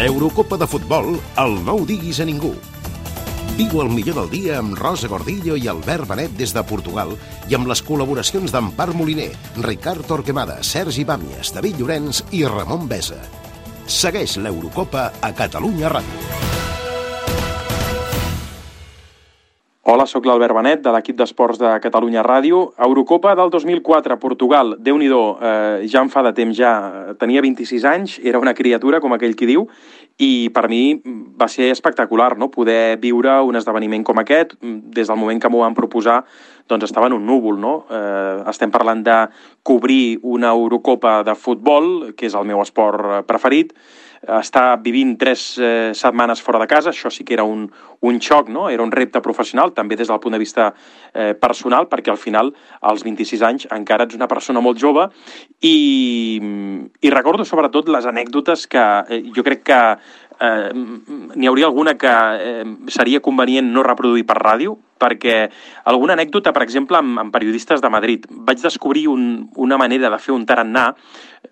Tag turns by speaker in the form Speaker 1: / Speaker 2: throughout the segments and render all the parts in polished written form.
Speaker 1: L'Eurocopa de futbol, el no ho diguis a ningú. Viu el millor del dia amb Rosa Gordillo i Albert Benet des de Portugal i amb les col·laboracions d'Empar Moliner, Ricard Torquemada, Sergi Bàmies, David Llorenç i Ramon Besa. Segueix l'Eurocopa a Catalunya Ràdio.
Speaker 2: Hola, sóc l'Albert Benet, de l'equip d'esports de Catalunya Ràdio. Eurocopa del 2004, Portugal. Déu-n'hi-do, ja em fa de temps ja. Tenia 26 anys, era una criatura, com aquell qui diu, i per mi va ser espectacular, no?, poder viure un esdeveniment com aquest. Des del moment que m'ho van proposar, doncs estava en un núvol, no? Estem parlant de cobrir una Eurocopa de futbol, que és el meu esport preferit, estar vivint 3 setmanes fora de casa, això sí que era un xoc, no? Era un repte professional, també des del punt de vista personal, perquè al final, als 26 anys, encara ets una persona molt jove, i recordo sobretot les anècdotes que jo crec que n'hi hauria alguna que seria convenient no reproduir per ràdio, perquè alguna anècdota, per exemple, amb periodistes de Madrid. Vaig descobrir una manera de fer un tarannà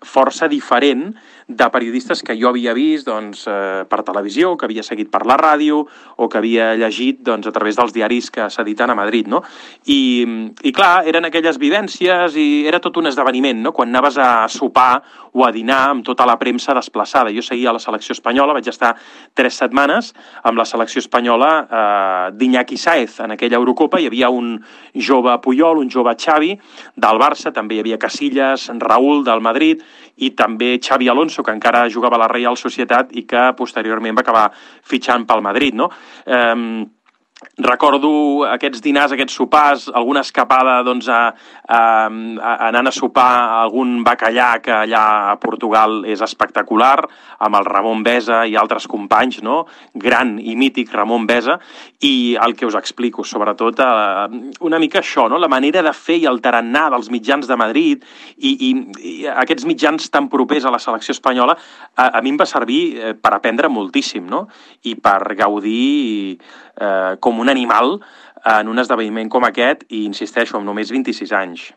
Speaker 2: força diferent de periodistes que jo havia vist per televisió, que havia seguit per la ràdio o que havia llegit a través dels diaris que s'editen a Madrid, no? I clar, eren aquelles vivències i era tot un esdeveniment, no? Quan anaves a sopar o a dinar amb tota la premsa desplaçada. Jo seguia la selecció espanyola, vaig estar 3 setmanes amb la selecció espanyola d'Iñaki Sáez. En aquella Eurocopa hi havia un jove Puyol, un jove Xavi del Barça, també hi havia Casillas, Raúl del Madrid i també Xavi Alonso, que encara jugava a la Reial Societat i que posteriorment va acabar fitxant pel Madrid, no? Recordo aquests dinars, aquests sopars, alguna escapada anant a sopar algun bacallà que allà a Portugal és espectacular, amb el Ramon Besa i altres companys, no? Gran i mític Ramon Besa, i el que us explico, sobretot una mica això, no? La manera de fer i el tarannà dels mitjans de Madrid i aquests mitjans tan propers a la selecció espanyola a mi em va servir per aprendre moltíssim, no? I per gaudir com un animal en un esdeveniment com aquest, i insisteixo, amb només 26 anys.